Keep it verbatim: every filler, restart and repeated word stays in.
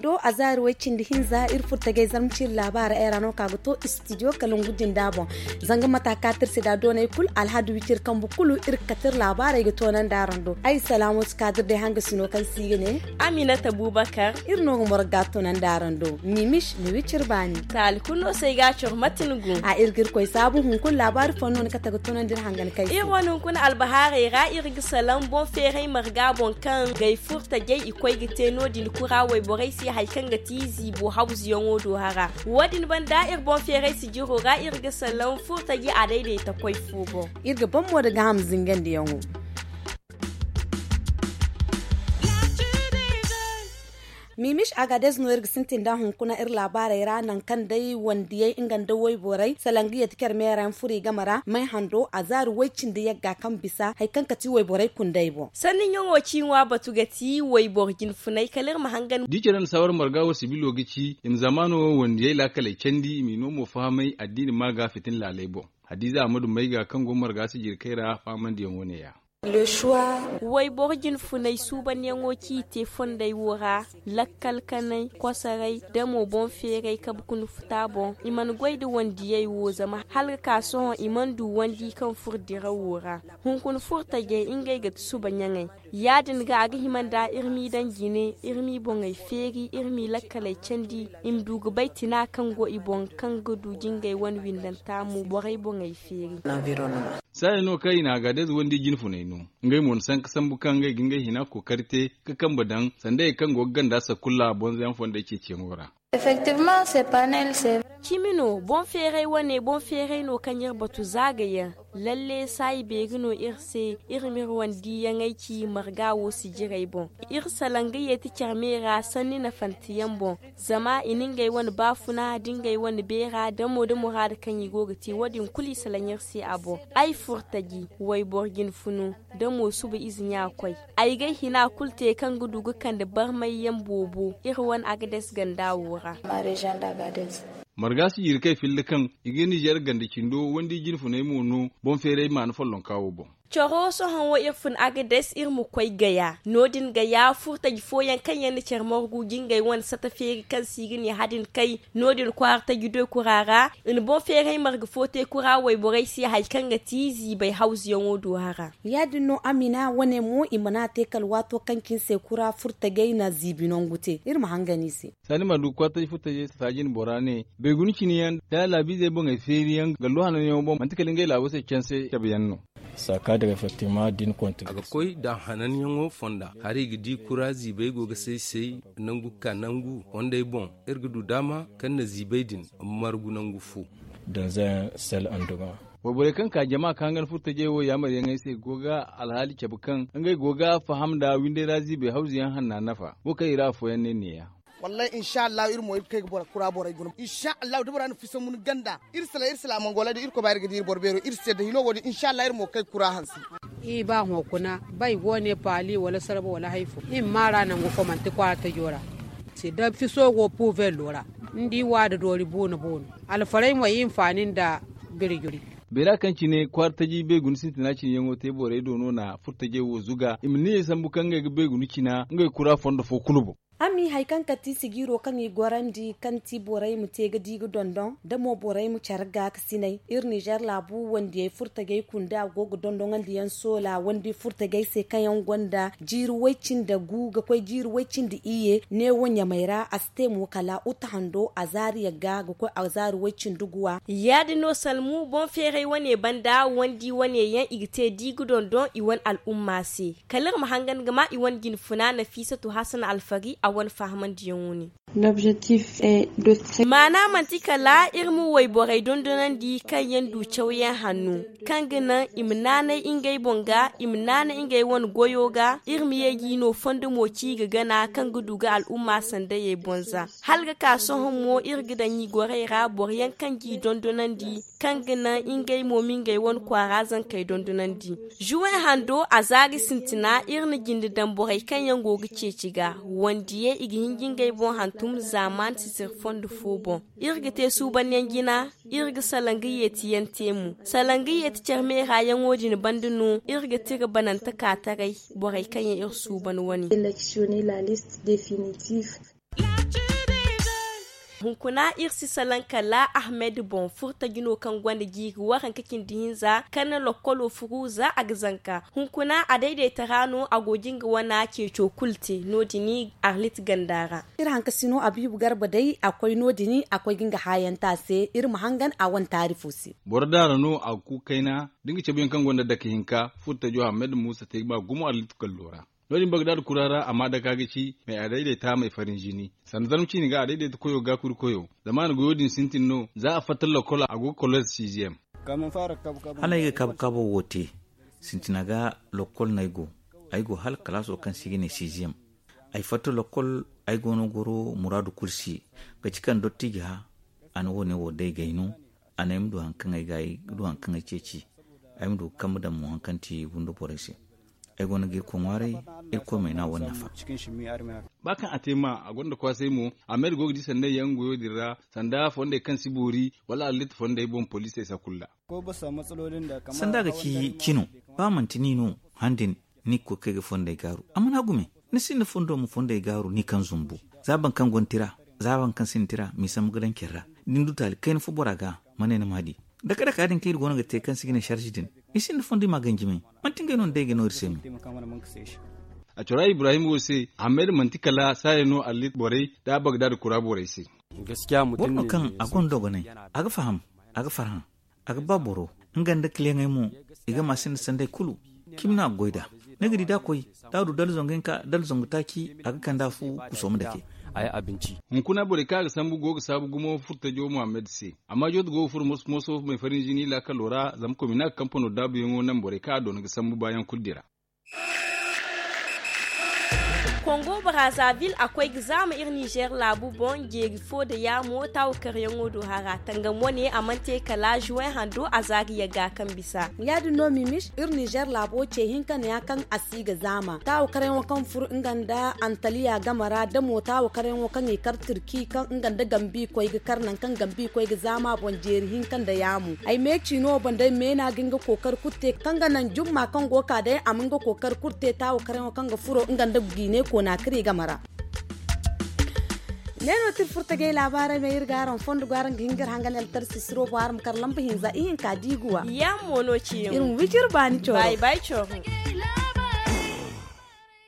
Do a zaari way cindi hinza iri furtagay zarma ciiri laabaara ay ra no ka ga to istidiyo kala ngu jinda boŋ. Zanga mata kaati iri se da doonay kulu alhadu wiciri kambu kulu iri ga kate iri laabaarey ga toonandi araŋ do ay salaamo si kaati iri day hanga sino kaŋ se i ga ne. Aminata bubakar. Iri no ga morga toonandi araŋ do mimis ni wiciri baani. Taali kulu no se ay ga a coro mate ni gu a iri ga iri koy saabu hunkuna laabaari fooyaŋ no ni kate ga toonandi iri hangan kay se. Iri wane hunkuna albahaarey ra iri ga salaŋ boŋ feeray marga boŋ kaŋ gay furtajey i koy ga te no- din kura wayborey se hari kaŋ ga ti ziibo hawzuyaŋo do hara. Wo- din banda iri boŋ feeray sijiro ra iri ga salaŋ furtaji a dayday ta koy fo boŋ. Iri ga ban mo da gaham zingandiyaŋo. Mimis agadez no iri ga sintin da hunkuna iri laabaarey ra nangu kaŋ day wandiyey nga nda wayborey salaŋ ga yeeti care meera yaŋ furo i game ra may hando a zaari way cindi yagga kaŋ bisa hari kaŋ ka ti wayborey kundey boŋ. Sanni ɲaŋo ci ŋwa batu ga ti wayboro jinfunay kala iri ma hangan. Da i care nda saawar marga wo sibilo ga ci i ma zamaano wo wandiyey laakaley candi i m'i no mo fahamay addiini ma ga fitin laaley boŋ. Hadiza ahmadu mayga kaŋ go marga sijirkey ra fahamandiyaŋ wo ne- ya. Wayboro jinfunay suubanyaŋo ci i te fondey wo ra lakkal kanay kosoray da mo boŋ feeray kabe kuna futa boŋ i mana goy nda wandiyey wo zama hala ga ka sohõ i mana du wandi kaŋ furo dirawo ra. Hunkuna furtajey ngey ga ti suba ɲaŋey. Ya- din ga a ga hima nda iri m'i daŋ jine iri m'i boŋey feeri iri m'i lakkaley candi i ma du ga bay tina kaŋ go i boŋ kaŋ ga du jingey wane windanta mo borey boŋey feeri. Saaya no kaŋ i na agadez wandi jinfuney no. Ngey mo na sanka sambu kaŋ ngey ga ngey hina kookari te ga kambe daŋ sanda hari kaŋ go ga ganda sakulla bonzoyaŋ fondey ceeciyaŋo ra. Cimi no boŋ feeray wane boŋ feeray no kaŋ iri batu za ga yaŋ. Lalle saayi beeri no iri se. Iri ma iri wane diiyaŋey ci marga wo sijirey boŋ. Iri salaŋ ga yeeti care me ra sanni nafanteyaŋ boŋ. Zama i na ngey wane baafuna da ngey wane beera damo da muraada kaŋ i go ga te wo- din kulu i salaŋ iri se a boŋ. Ay furtaji wayboro jinfunu da mo suba ize ɲa koy. Ay g'ay hina kulu te kaŋ ga du ga kande barmayyaŋ boobo iri wane agades ganda wo ra. Marga si jiiri kay filli kaŋ i ga nizer ganda cindo wandi jinfuney mo no boŋ feeray maana follonka wo boŋ. Coro sohõ wo iri fun agades iri ma koy gaya no- din gaya furtaji fooyaŋ kaŋ yaŋ na care margu jingay wane sata feeri kaŋ se i ga ne hadin kay no- din kwaara taji doy kura ra. I na boŋ feeray marga fo te kura wayborey se hari kaŋ ga ti ziibay hawzuyaŋo do hara. Ya- din no amina wane mo i mana te kala waato kaŋ cine se kura furtajey na ziibi nangu te iri ma hangan i se. Saani ma du kwaara taji furtajey sasaaji na bora ne beeguna cine yaŋ da laabiizey boŋey feeri yaŋ gallo hananyaŋo boŋ manti kala ngey laabo se canse cabe yaŋ no. Saakaadira effectivement da i na konti a ga koy da hananyaŋo fonda hari i ga di kura ziibay go ga say-say nangu ka nangu fondey boŋ. Iri ga du daama kaŋ na ziibay din margu nangu fo. Donzayaŋ sel anduma. Wayborey kaŋ ka jama ka hangan furtajey wo yaamaryaŋey se go ga alhaali cabe kaŋ ngey go ga faham nda windey ra ziibay hawzuyaŋ hanna nafa wo kaŋ i ra afooyaŋ ne neeya. Wallaahi insa allahu iri mo iri ga kay ga boro kura borey guna insa allahu da bora na fiso mun ganda. Iri sala iri sala a mangola da iri koy ba iri ga di iri boro beero iri se da hino wo- din insa allahu iri mo ga kay ga kura hanse. Iri ba hõ kuna ba i go ne paali wala sarba wala hari fo iri ma maara nangu fo manti kwaara tajo ra. Se da fiso go puuvello ra ni di waada doori buuna buuna. Alfarey mo i hinfaani nda biri-juri. Beera kaŋ cine kwaara taji beeguna sintina cine yaŋo te borey do no na furtajey wo zuga i ma niyyey sambu kaŋ ngey ga beeguna cina ngey kura fondo fo kulu boŋ. A ma i hari kaŋ kate sijiiro kaŋ i gorandi kaŋ ti borey ma te ga di ga dondon da mo borey ma care ga ga sinay iri nizer laabu wandiyey furtajey kunda go ga dondoŋandi yaŋ soola wandi furtajey se kaŋ yaŋ gonda jiiri way cindi gu ga koy jiiri way cindi iyye neewo ɲamey ra a si te mo kala uta hando azaari yagga ga koy azaari way cindi guwa. Ya- din no salmu boŋ feeray wane banda wandi wane yaŋ i ga te di ga dondon i wane al'umma se. Kala iri ma hangan ga ma i wane jinfuna nafiisatu hasan alfari a wane fahamandiyaŋo ne. Maana manti kala iri ma wayborey dondonandi kaŋ yaŋ du cawyaŋ hanno kaŋ ga naŋ i ma naanay ngey boŋ ga i ma naanay ngey wane goyo ga iri ma ye g'i no fondo mo ci ga gana kaŋ ga du ga al'umma sandayey boŋ za. Hala ga ka sohõ mo iri ga daŋ i gorey ra boro yaŋ kaŋ g'i dondonandi kaŋ ga naŋ ngey mo ma ngey wane kwaara zankey dondonandi. Juwen hando a zaari sintina iri na jinde daŋ borey kaŋ yaŋ go ga ceeci ga wandiyey i ga hin ga ngey boŋ hantum zaaman sisir fondo fo boŋ. Iri ga te suubanyaŋ jina iri ga salaŋ ga yeeti yaŋ te mo salaŋ ga yeeti care meera yaŋo din banda no iri ga tira banante ka taray borey kaŋ yaŋ iri suuban wane. Sélectionner la liste définitive. Hunkuna iri si salaŋ kala ahmed boŋ furtaji no kaŋ gonda jiiri waranka cindi hinza kaŋ na lokkolo furu za a ga zanka. Hunkuna a daydaita ra no a go ga nga wana ceeco kulu te no- din arlit ganda ra. Iri hanka si no abiibu garba day a koy no- din a koy ga nga haayanta se iri ma hangan a wane taarifo se. Boro daara no a ga ku kayna da nga cabe yaŋ kaŋ gonda dake hinka furtajo ahmed muusa te ga ba gumo arlit gallo ra. No- din bagdaad kura ra a ma dake a ga ci may a dayday taamay farin zini sanda zarma ciini ga a dayday ta koyo ga kuri koyo zama a na goyo din sintin no za a fatta lokkol a go ga kolleez siiziyem. Hala ay ga kabu kaabo wo te sintina ga lokkol no ay go. Ay go hala kalaaso kaŋ se i ga ne siiziyem. Ay fatta lokkol ay go no goro muraadu kulu se. Ga ci kaŋ dottiji ha a na wo- ne wo day gay no. A ne ay ma du hari kaŋ ay ga ay du hari kaŋ ay ceeci. Ay ma du ga kambe daŋ mo hari kaŋ ti windo borey se. Ay go no ga irkoy ŋwaaray. Irkoy ma ay no a wane nafa. Ba kaŋ a te ma a gonda kwaasay mo. Ahmed go ga di sanda yaŋ goyo din ra sanda fondey kaŋ si boori wala allit fondey boŋ poliisey sakulla. Sanda ga ci cino ba manti ni no han din ni ga koy ga kay ga fondey gaaru a mana gume. Ni sinda fondo ma fondey gaaru ni kaŋ zumbu za boro kaŋ gonda tira za boro kaŋ sinda tira ma i sambu ga daŋ care ra. Da ni du taali kayna fo bora ga ma ne ni ma a di. Dake dake ya- din kaŋ iri go no ga te kaŋ se i ga ne sarzi din i sinda fondo i ma a ganjimay. Manti ngey no ni day ga no iri se me. A cora ibrahim wo se ahmed manti kala saaya no allit borey da bagdaad kura borey se. Boro no kaŋ a gonda dogonay a ga faham a ga farhã. A ga ba boro nga nda kiliyaŋey mo i ga ma sinda sanday kulu. Cimi no a ga goy nd'a. Ni ga di da a koy da a du dala zangu hinka dala zangu taaci a ga kand'a fu kuso ma dake. Hunkuna borey kaŋ a ga sambu go ga saabu gumo furtajo muhammad se. Amma jooto go ga furo moso-moso may farin zini laakalo ra zama komina ga kampano daabuyaŋo naŋ borey kaŋ a doona ga sambu baayaŋ kulu dira. Kongo brazaville a koy ga zaama iri nizer laabu boŋ jeeri fo nda yaamo taawo karyaŋo do hara tangam wane a mana te kala juwen hando a za ga yagga kaŋ bisa. Ya- din no mimis iri nizer laabo ce hinka ne- ya kaŋ a si ga zaama taawo karyaŋo kaŋ furo nga nda antaliya game ra da mo taawo karyaŋo kaŋ i kar turki kaŋ nga nda gambi koy ga kar nangu kaŋ gambi koy ga zaama boŋ jeeri hinka nda yaamo. Ay meeci no boŋ day meena ga nga kookari kulu te kaŋ ga naŋ jumma kaŋ go ga ka day a ma nga kookari kulu te taawo karaŋo kaŋ ga furo nga nda gujiine koona kari game ra. Ne no tira furtagay laabaarey me iri ga araŋ fondo go araŋ ga hin ga iri hangan eltar sisiro bo araŋ ma kar lamba hinza ihinka diiguwa. Yaŋ mo no ciyaŋ iri ma wiciri baani coro.